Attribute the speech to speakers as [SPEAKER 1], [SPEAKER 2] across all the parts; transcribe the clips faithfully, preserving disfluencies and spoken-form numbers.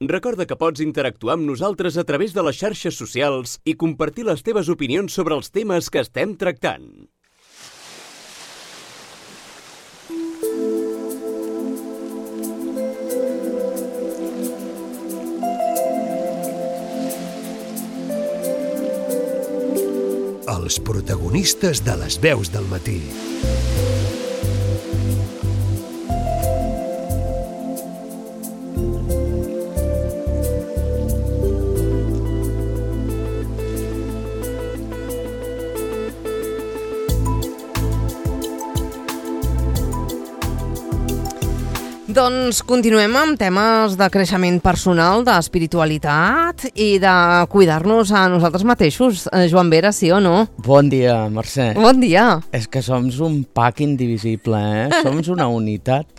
[SPEAKER 1] Recorda que pots interactuar amb nosaltres a través de les xarxes socials i compartir les teves opinions sobre els temes que estem tractant.
[SPEAKER 2] Els protagonistes de les veus del matí.
[SPEAKER 3] Doncs continuem amb temes de creixement personal, d'espiritualitat i de cuidar-nos a nosaltres mateixos. Joan Vera, sí o no?
[SPEAKER 4] Bon dia, Mercè.
[SPEAKER 3] Bon dia.
[SPEAKER 4] És que som un pack indivisible, eh? Som una unitat.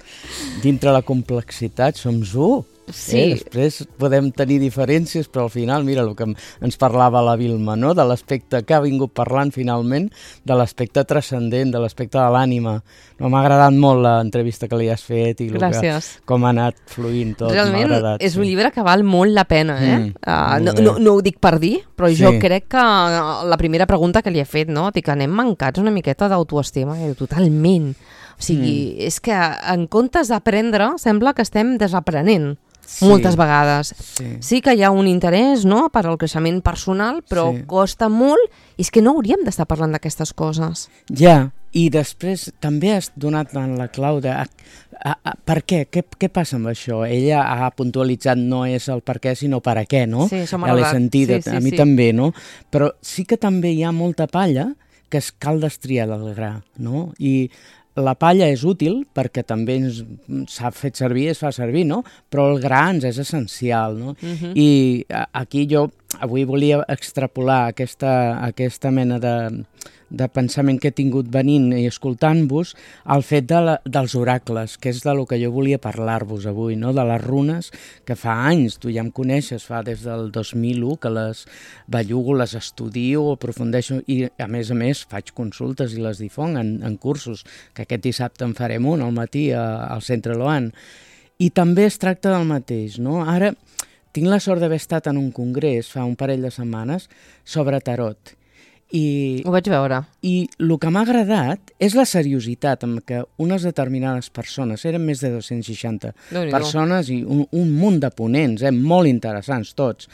[SPEAKER 4] Dintre la complexitat som u.
[SPEAKER 3] Sí.
[SPEAKER 4] Eh? Després podem tenir diferències, però al final, mira el que ens parlava la Vilma, no? De l'aspecte que ha vingut parlant finalment, de l'aspecte transcendent, de l'aspecte de l'ànima. No, m'ha agradat molt l'entrevista que li has fet i que, com ha anat fluint tot.
[SPEAKER 3] Realment
[SPEAKER 4] agradat,
[SPEAKER 3] és
[SPEAKER 4] sí.
[SPEAKER 3] Un llibre que val molt la pena, eh?
[SPEAKER 4] Mm,
[SPEAKER 3] uh, no, no, no ho dic per dir, però
[SPEAKER 4] sí.
[SPEAKER 3] Jo crec que la primera pregunta que li he fet, no? Dic, anem mancats una miqueta d'autoestima, eh? Totalment. O sigui, mm. és que en comptes d'aprendre, sembla que estem desaprenent. Sí, moltes vegades.
[SPEAKER 4] Sí.
[SPEAKER 3] sí que hi ha un interès, no?, per al creixement personal, però sí. Costa molt, i és que no hauríem d'estar parlant d'aquestes coses.
[SPEAKER 4] Ja, i després també has donat en la clau de a, a, a, per què? què? Què passa amb això? Ella ha puntualitzat no és el per què, sinó per a què, no?
[SPEAKER 3] Sí, això
[SPEAKER 4] ja
[SPEAKER 3] m'ha
[SPEAKER 4] l'he
[SPEAKER 3] agradat.
[SPEAKER 4] sentit,
[SPEAKER 3] sí, sí,
[SPEAKER 4] a mi
[SPEAKER 3] sí.
[SPEAKER 4] també, no? Però sí que també hi ha molta palla que es cal destriar del gra, no? I la palla és útil perquè també s'ha fet servir, es fa servir, no? Però el gra ens és essencial, no? Uh-huh. I aquí jo avui volia extrapolar aquesta, aquesta mena de, de pensament que he tingut venint i escoltant-vos al fet de la, dels oracles, que és del que jo volia parlar-vos avui, no? De les runes, que fa anys, tu ja em coneixes, fa des del dos mil u que les bellugo, les estudio, aprofundeixo i a més a més faig consultes i les difonc en, en cursos, que aquest dissabte en farem un al matí a, al Centre Loan. I també es tracta del mateix, no? Ara tinc la sort d'haver estat en un congrés fa un parell de setmanes sobre tarot. I,
[SPEAKER 3] Ho vaig veure.
[SPEAKER 4] I el que m'ha agradat és la seriositat amb què unes determinades persones, eren més de dos-cents seixanta persones i un, un munt de ponents, eh, molt interessants tots,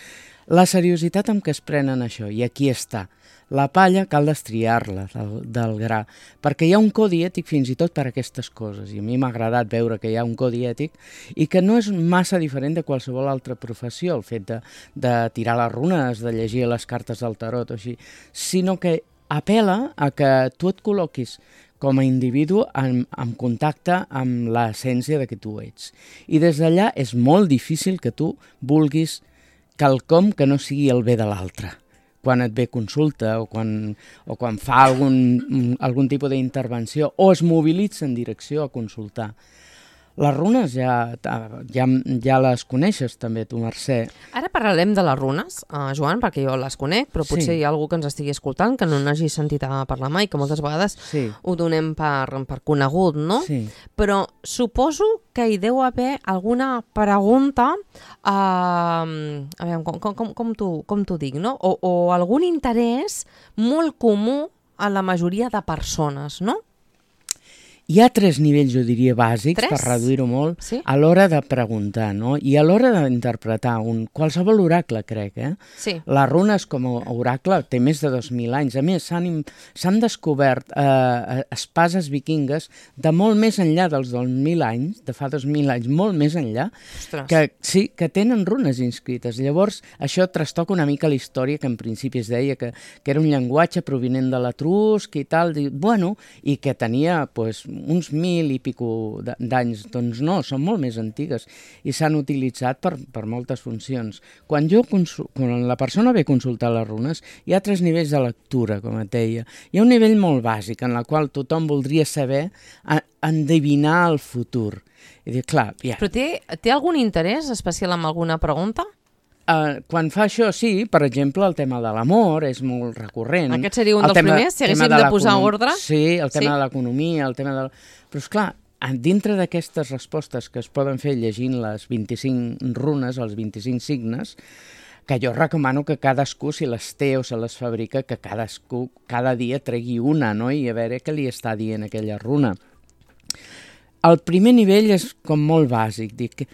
[SPEAKER 4] la seriositat amb què es prenen això, i aquí està. La palla cal destriar-la del, del gra, perquè hi ha un codi ètic fins i tot per a aquestes coses, i a mi m'ha agradat veure que hi ha un codi ètic i que no és massa diferent de qualsevol altra professió, el fet de, de tirar les runes, de llegir les cartes del tarot o així, sinó que apel·la a que tu et col·loquis com a individu en, en contacte amb l'essència de que tu ets. I des d'allà és molt difícil que tu vulguis quelcom que no sigui el bé de l'altre. Quan et ve consulta o quan, o quan fa algun, algun tipus d'intervenció o es mobilitza en direcció a consultar. Les runes ja, ja, ja les coneixes també, tu, Mercè.
[SPEAKER 3] Ara parlarem de les runes, uh, Joan, perquè jo les conec, però potser sí. Hi ha algú que ens estigui escoltant que no n'hagi sentit a parlar mai, que moltes vegades sí. Ho donem per, per conegut, no?
[SPEAKER 4] Sí.
[SPEAKER 3] Però suposo que hi deu haver alguna pregunta, uh, a veure, com, com, com t'ho dic, no? O, o algun interès molt comú a la majoria de persones, no?
[SPEAKER 4] Hi ha tres nivells, jo diria, bàsics,
[SPEAKER 3] tres?
[SPEAKER 4] Per reduir-ho molt,
[SPEAKER 3] sí?
[SPEAKER 4] A l'hora de preguntar, no? I a l'hora d'interpretar un qualsevol oracle, crec, eh?
[SPEAKER 3] Sí.
[SPEAKER 4] Les runes com a oracle té més de dos mil anys. A més, s'han descobert eh, espases vikingues de molt més enllà dels dos mil anys, de fa dos mil anys, molt més enllà,
[SPEAKER 3] Ostres.
[SPEAKER 4] que sí, que tenen runes inscrites. Llavors, això trastoca una mica la història, que en principi es deia que, que era un llenguatge provinent de l'etrusc i tal, i, bueno, i que tenia, pues, uns mil i pico d'anys, doncs no, són molt més antigues i s'han utilitzat per, per moltes funcions. Quan, jo quan la persona ve a consultar les runes, hi ha tres nivells de lectura, com et deia. Hi ha un nivell molt bàsic, en el qual tothom voldria saber a, endevinar el futur. I dir, clar, ja.
[SPEAKER 3] Però té, té algun interès especial en alguna pregunta?
[SPEAKER 4] Uh, quan fa això, sí, per exemple, el tema de l'amor és molt recurrent.
[SPEAKER 3] Aquest seria un dels primers, si haguéssim de, de posar ordre?
[SPEAKER 4] Sí, el tema
[SPEAKER 3] sí?
[SPEAKER 4] de l'economia, el tema de... Però, esclar, dintre d'aquestes respostes que es poden fer llegint les vint-i-cinc runes, els vint-i-cinc signes, que jo recomano que cadascú, si les té o se les fabrica, que cadascú cada dia tregui una, no?, i a veure què li està dient aquella runa. El primer nivell és com molt bàsic, dic,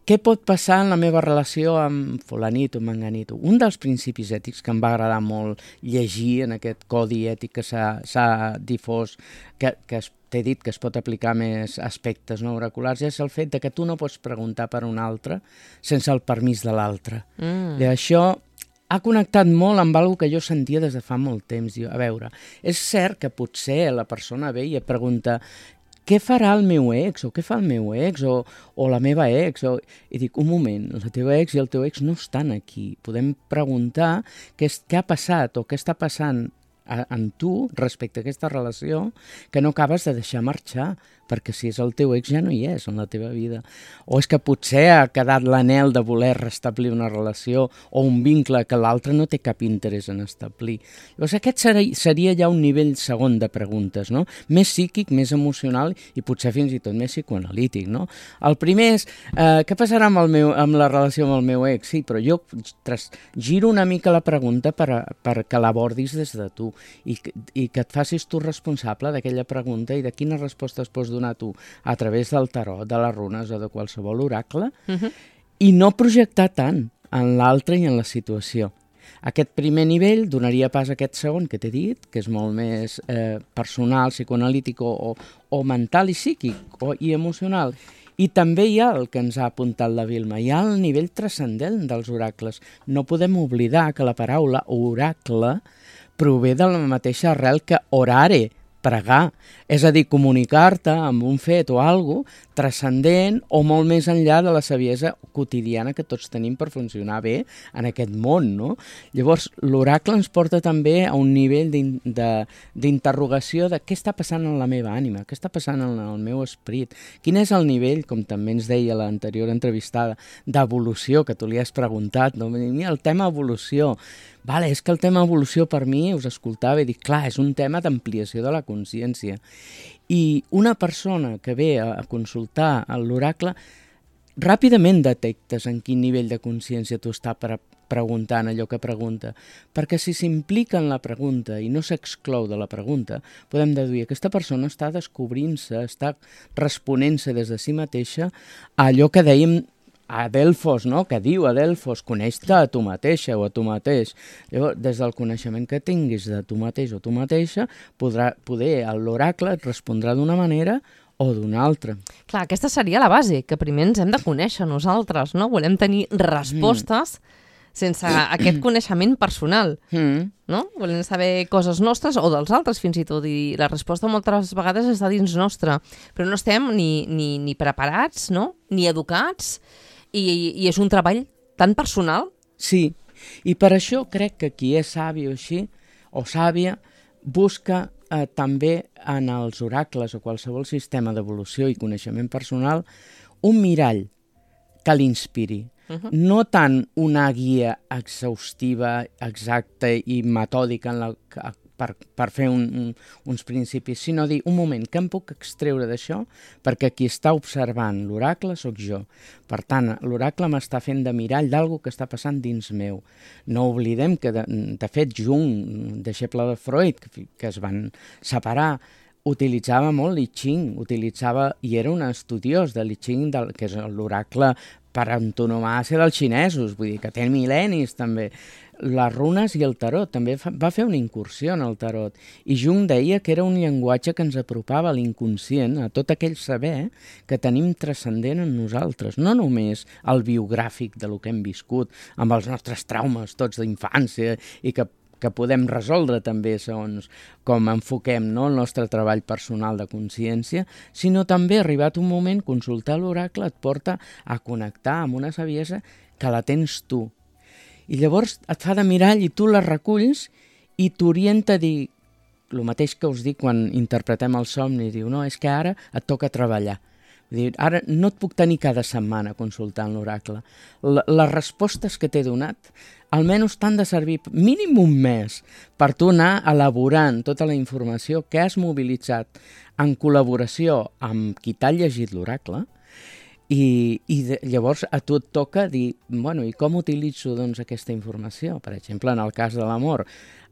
[SPEAKER 4] què pot passar en la meva relació amb fulanit o manganit? Un dels principis ètics que em va agradar molt llegir en aquest codi ètic que s'ha difós, que, que t'he dit que es pot aplicar més aspectes no oraculars, és el fet de que tu no pots preguntar per un altre sense el permís de l'altre. Mm. I això ha connectat molt amb alguna que jo sentia des de fa molt temps. Diu, a veure, és cert que potser la persona ve i et pregunta què farà el meu ex, o què fa el meu ex, o, o la meva ex, o... i dic, un moment, la teva ex i el teu ex no estan aquí. Podem preguntar què, és, què ha passat o què està passant a, en tu respecte a aquesta relació que no acabes de deixar marxar, perquè si és el teu ex ja no hi és en la teva vida. O és que potser ha quedat l'anhel de voler restablir una relació o un vincle que l'altre no té cap interès en establir. Llavors aquest seria, seria ja un nivell segon de preguntes, no? Més psíquic, més emocional i potser fins i tot més psicoanalític, no? El primer és, eh, què passarà amb, el meu, amb la relació amb el meu ex? Sí, però jo tras, giro una mica la pregunta per, a, per que l'abordis des de tu i, i que et facis tu responsable d'aquella pregunta i de quines respostes pots donar a tu a través del tarot, de les runes o de qualsevol oracle, uh-huh. i no projectar tant en l'altre i en la situació. Aquest primer nivell donaria pas a aquest segon que t'he dit, que és molt més eh, personal, psicoanalític o, o, o mental i psíquic o, i emocional. I també hi ha el que ens ha apuntat la Vilma, hi ha el nivell transcendent dels oracles. No podem oblidar que la paraula oracle prové de la mateixa arrel que orare, pregar, és a dir, comunicar-te amb un fet o alguna cosa transcendent o molt més enllà de la saviesa quotidiana que tots tenim per funcionar bé en aquest món, no? Llavors, l'oracle ens porta també a un nivell d'interrogació de què està passant en la meva ànima, què està passant en el meu esperit, quin és el nivell, com també ens deia l'anterior entrevistada, d'evolució, que tu li has preguntat, no? Mira, el tema evolució, vale, és que el tema evolució per mi, us escoltava i dic, clar, és un tema d'ampliació de la consciència. I una persona que ve a consultar l'oracle, ràpidament detectes en quin nivell de consciència tu estàs pre preguntant allò que pregunta, perquè si s'implica en la pregunta i no s'exclou de la pregunta, podem deduir que aquesta persona està descobrint-se, està responent-se des de si mateixa a allò que dèiem a Delfos, no? Que diu a Delfos, coneix-te a tu mateixa o a tu mateix. Llavors, des del coneixement que tinguis de tu mateix o tu mateixa, podrà, poder l'oracle et respondrà d'una manera o d'una altra.
[SPEAKER 3] Clar, aquesta seria la base, que primer ens hem de conèixer nosaltres, no? Volem tenir respostes mm. sense aquest coneixement personal, mm. no? Volem saber coses nostres o dels altres fins i tot, i la resposta moltes vegades està dins nostra, però no estem ni, ni, ni preparats, no? Ni educats, I, i és un treball tan personal.
[SPEAKER 4] Sí, i per això crec que qui és savi o així, o sàvia, busca eh, també en els oracles o qualsevol sistema d'evolució i coneixement personal un mirall que l'inspiri. Uh-huh. No tant una guia exhaustiva, exacta i metòdica en la, per, per fer un, un, uns principis, sinó dir, un moment, què em puc extreure d'això? Perquè qui està observant l'oracle sóc jo. Per tant, l'oracle m'està fent de mirall d'alguna que està passant dins meu. No oblidem que, de, de fet, Jung, deixeble de Freud, que, que es van separar, utilitzava molt l'I Ching, utilitzava, i era un estudiós de l'I Ching, del, que és l'oracle per antonomàsia dels xinesos, vull dir que té mil·lennis també. Les runes i el tarot, també fa, va fer una incursió en el tarot, i Jung deia que era un llenguatge que ens apropava a l'inconscient, a tot aquell saber que tenim transcendent en nosaltres, no només el biogràfic de lo que hem viscut, amb els nostres traumes tots d'infància, i que que podem resoldre també segons com enfoquem, no, el nostre treball personal de consciència, sinó també, arribat un moment, consultar l'oracle et porta a connectar amb una saviesa que la tens tu. I llavors et fa de mirall i tu la reculls i t'orienta a dir el mateix que us dic quan interpretem el somni, diu, no, és que ara et toca treballar, Ara no et puc tenir cada setmana consultant l'oracle. Les respostes que t'he donat almenys t'han de servir mínim un mes per tu anar elaborant tota la informació que has mobilitzat en col·laboració amb qui t'ha llegit l'oracle i, i de, llavors a tu et toca dir, bueno, i com utilitzo doncs, aquesta informació? Per exemple, en el cas de l'amor,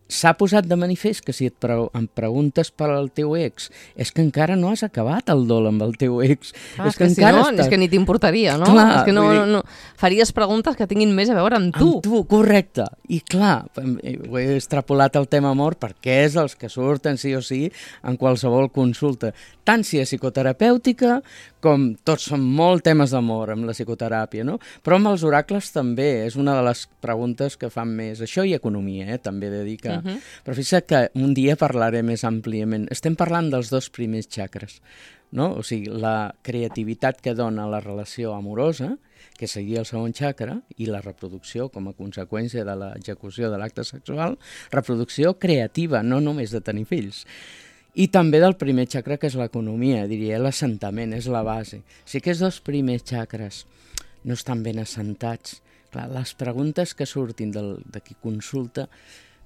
[SPEAKER 4] s'ha posat de manifest que si et pre em preguntes per al teu ex és que encara no has acabat el dol amb el teu ex.
[SPEAKER 3] Ah, és, és que, que si no, estàs... és que ni t'importaria, no?
[SPEAKER 4] Clar,
[SPEAKER 3] és que no, no, no faries preguntes que tinguin més a veure amb tu.
[SPEAKER 4] Amb tu, correcte. I clar, ho he extrapolat al tema amor perquè és els que surten sí o sí en qualsevol consulta. Tant si és psicoterapèutica com tots són molt temes d'amor amb la psicoteràpia, no? Però amb els oracles també és una de les preguntes que fan més. Això i economia, eh? També he de dir que Uh -huh. Però fixa't que un dia parlaré més àmpliament. Estem parlant dels dos primers xacres, no? O sigui, la creativitat que dona la relació amorosa, que seria el segon xacra, i la reproducció com a conseqüència de l'execució de l'acte sexual, reproducció creativa, no només de tenir fills. I també del primer xacra, que és l'economia, diria, l'assentament, és la base. Si aquests dos primers xacres no estan ben assentats, clar, les preguntes que surtin del, de qui consulta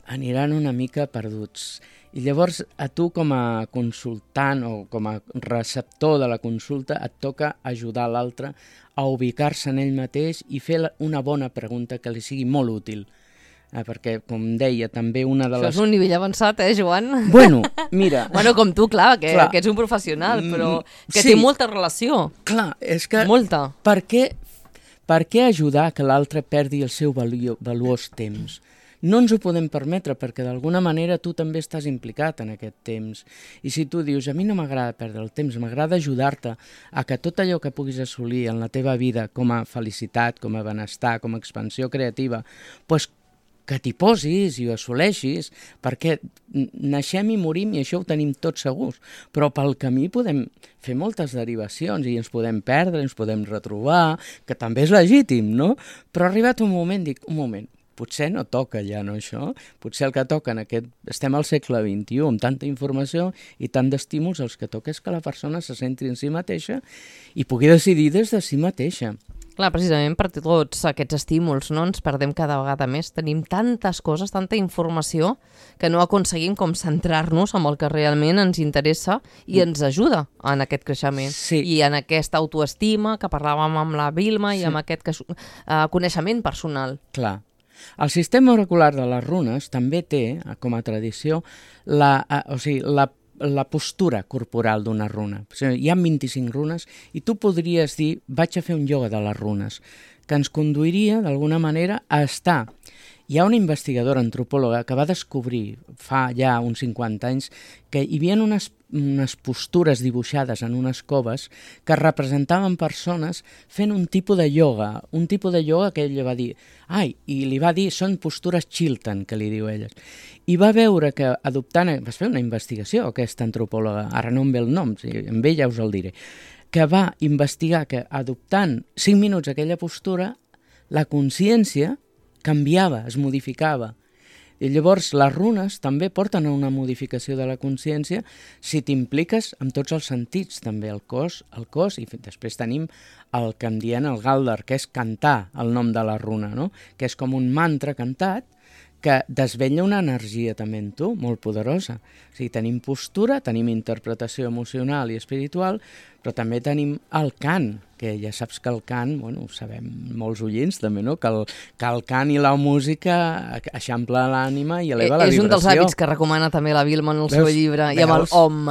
[SPEAKER 4] aniran una mica perduts. I llavors a tu com a consultant o com a receptor de la consulta et toca ajudar l'altre a ubicar-se en ell mateix i fer una bona pregunta que li sigui molt útil. Eh, perquè, com deia, també una de
[SPEAKER 3] les...
[SPEAKER 4] Això
[SPEAKER 3] és un nivell avançat, eh, Joan?
[SPEAKER 4] Bueno, mira...
[SPEAKER 3] bueno, com tu, clar, que, clar. que ets un professional, però que sí. té molta relació.
[SPEAKER 4] Clar, és que...
[SPEAKER 3] Molta.
[SPEAKER 4] Per què, per què ajudar que l'altre perdi el seu valu valuós temps? No ens ho podem permetre perquè d'alguna manera tu també estàs implicat en aquest temps. I si tu dius, a mi no m'agrada perdre el temps, m'agrada ajudar-te a que tot allò que puguis assolir en la teva vida com a felicitat, com a benestar, com a expansió creativa, doncs que t'hi posis i ho assoleixis, perquè naixem i morim i això ho tenim tots segurs, però pel camí podem fer moltes derivacions i ens podem perdre, ens podem retrobar, que també és legítim, no? Però ha arribat un moment, dic, un moment, potser no toca ja, no, això? Potser el que toca en aquest... Estem al segle vint-i-u, amb tanta informació i tant d'estímuls, el que toca és que la persona se centri en si mateixa i pugui decidir des de si mateixa.
[SPEAKER 3] Clar, precisament per tots aquests estímuls, no? Ens perdem cada vegada més. Tenim tantes coses, tanta informació, que no aconseguim com centrar-nos en el que realment ens interessa i ens ajuda en aquest creixement.
[SPEAKER 4] Sí.
[SPEAKER 3] I en aquesta autoestima que parlàvem amb la Vilma i sí. amb aquest uh, coneixement personal.
[SPEAKER 4] Clar. El sistema oracular de les runes també té, com a tradició, la, o sigui, la la postura corporal d'una runa. O sigui, hi ha vint-i-cinc runes i tu podries dir, vaig a fer un ioga de les runes, que ens conduiria d'alguna manera a estar. Hi ha una investigadora antropòloga que va descobrir fa ja uns cinquanta anys que hi havia unes, unes postures dibuixades en unes coves que representaven persones fent un tipus de ioga, un tipus de ioga que ella va dir, ai, i li va dir, són postures Chiltern, que li diu ella. I va veure que adoptant, vas fer una investigació, aquesta antropòloga, ara no em ve el nom, si em ve ja us el diré, que va investigar que adoptant cinc minuts aquella postura, la consciència canviava, es modificava. I llavors les runes també porten a una modificació de la consciència si t'impliques amb tots els sentits, també el cos, el cos, i després tenim el que en diem el Galdar, que és cantar el nom de la runa, no? Que és com un mantra cantat que desvetlla una energia també en tu, molt poderosa. O sigui, tenim postura, tenim interpretació emocional i espiritual, però també tenim el cant, que ja saps que el cant, bueno, ho sabem molts oients també, no? Que el, que el cant i la música eixampla l'ànima i eleva la vibració.
[SPEAKER 3] És un dels hàbits que recomana també la Vilma en el seu llibre, i amb el Om.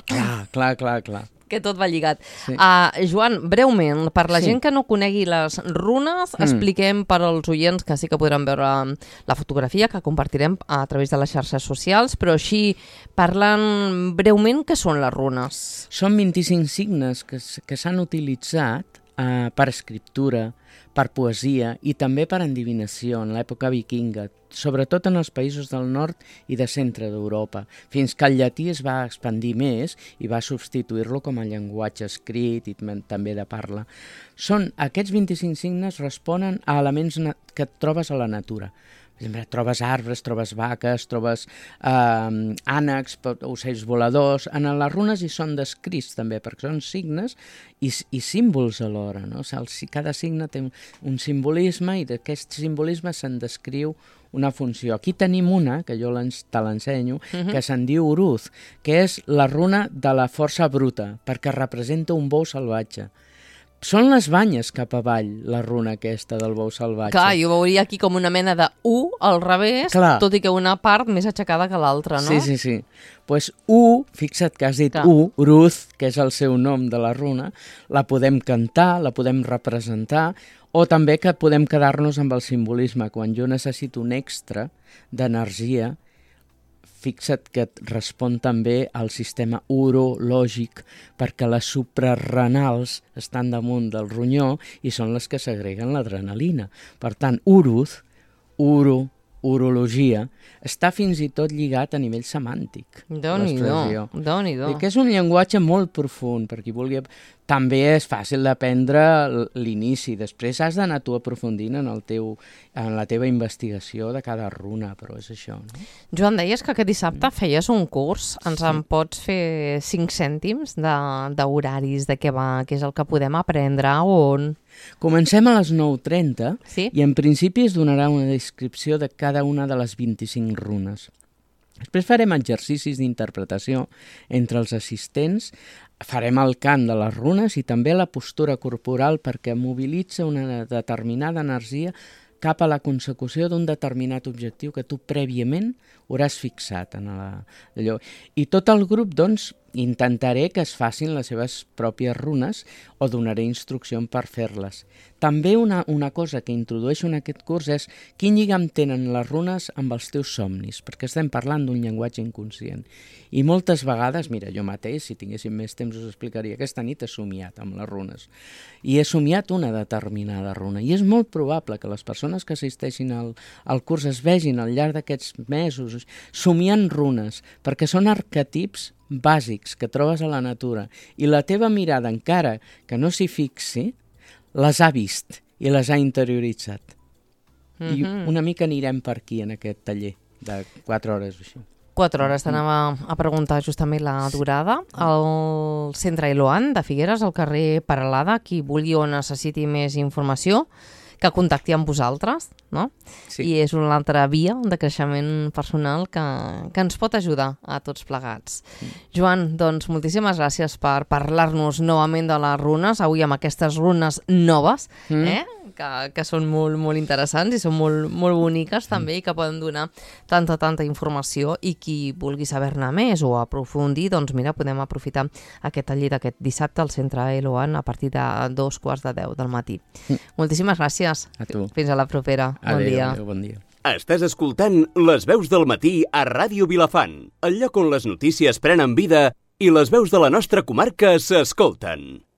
[SPEAKER 4] Clar, clar, clar, clar.
[SPEAKER 3] Que tot va lligat. Sí. Uh, Joan, breument, per la sí. gent que no conegui les runes, mm. expliquem per als oients que sí que podran veure la fotografia que compartirem a través de les xarxes socials, però així, parlant breument, què són les runes?
[SPEAKER 4] Són vint-i-cinc signes que, que s'han utilitzat uh, per escriptura, per poesia i també per endivinació en l'època vikinga, sobretot en els països del nord i de centre d'Europa, fins que el llatí es va expandir més i va substituir-lo com a llenguatge escrit i també de parla. Són, aquests vint-i-cinc signes responen a elements que et trobes a la natura. Per exemple, trobes arbres, trobes vaques, trobes eh, ànecs, ocells voladors. En les runes hi són descrits també, perquè són signes i, i símbols alhora, no? O sigui, cada signe té un simbolisme i d'aquest simbolisme se'n descriu una funció. Aquí tenim una, que jo te l'ensenyo, uh-huh. que se'n diu Uruz, que és la runa de la força bruta, perquè representa un bou salvatge. Són les banyes cap avall, la runa aquesta del bou salvatge.
[SPEAKER 3] Clar, jo veuria aquí com una mena de U al revés, Clar. tot i que una part més aixecada que l'altra, no?
[SPEAKER 4] Sí, sí, sí. Doncs pues, U, fixa't que has dit Clar. U, Uruz, que és el seu nom de la runa, la podem cantar, la podem representar, o també que podem quedar-nos amb el simbolisme. Quan jo necessito un extra d'energia, fixa't que et respon també al sistema urològic, perquè les suprarrenals estan damunt del ronyó i són les que segreguen l'adrenalina. Per tant, uruz, uro, urologia, està fins i tot lligat a nivell semàntic.
[SPEAKER 3] Déu-n'hi-do, Déu-n'hi-do.
[SPEAKER 4] I que és un llenguatge molt profund, per qui vulgui... També és fàcil d'aprendre l'inici, després has d'anar tu aprofundint en, el teu, en la teva investigació de cada runa, però és això, no?
[SPEAKER 3] Joan, deies que aquest dissabte feies un curs, ens sí. en pots fer cinc cèntims d'horaris, de, de què va, què és el que podem aprendre, on...
[SPEAKER 4] Comencem a les nou trenta
[SPEAKER 3] sí?
[SPEAKER 4] i en principi es donarà una descripció de cada una de les vint-i-cinc runes. Després farem exercicis d'interpretació entre els assistents, farem el cant de les runes i també la postura corporal perquè mobilitza una determinada energia cap a la consecució d'un determinat objectiu que tu prèviament hauràs fixat en la, allò. I tot el grup, doncs, intentaré que es facin les seves pròpies runes o donaré instrucció per fer-les. També una, una cosa que introdueixo en aquest curs és quin lligam tenen les runes amb els teus somnis, perquè estem parlant d'un llenguatge inconscient. I moltes vegades, mira, jo mateix, si tinguéssim més temps us explicaria, aquesta nit he somiat amb les runes. I he somiat una determinada runa. I és molt probable que les persones que assisteixin al, al curs es vegin al llarg d'aquests mesos somiant runes, perquè són arquetips bàsics que trobes a la natura i la teva mirada, encara que no s'hi fixi, les ha vist i les ha interioritzat. Mm-hmm. I una mica anirem per aquí en aquest taller de quatre hores o així.
[SPEAKER 3] Quatre hores, t'anava a preguntar justament la durada. Al centre Eloan de Figueres, al carrer Peralada, qui vulgui o necessiti més informació, que contacti amb vosaltres, no? Sí. I és una altra via de creixement personal que, que ens pot ajudar a tots plegats. Mm. Joan, doncs moltíssimes gràcies per parlar-nos novament de les runes, avui amb aquestes runes noves, mm. eh? que, que són molt, molt interessants i són molt, molt boniques també, mm. i que poden donar tanta, tanta informació, i qui vulgui saber-ne més o aprofundir, doncs mira, podem aprofitar aquest taller d'aquest dissabte al centre Eloan a partir de dos quarts de deu del matí. Mm. Moltíssimes gràcies.
[SPEAKER 4] A tu.
[SPEAKER 3] Fins a la propera.
[SPEAKER 4] Adéu,
[SPEAKER 3] bon dia.
[SPEAKER 4] Adéu, bon dia.
[SPEAKER 1] Estàs escoltant Les Veus del Matí a Ràdio Vilafant, el lloc on les notícies prenen vida i les veus de la nostra comarca s'escolten.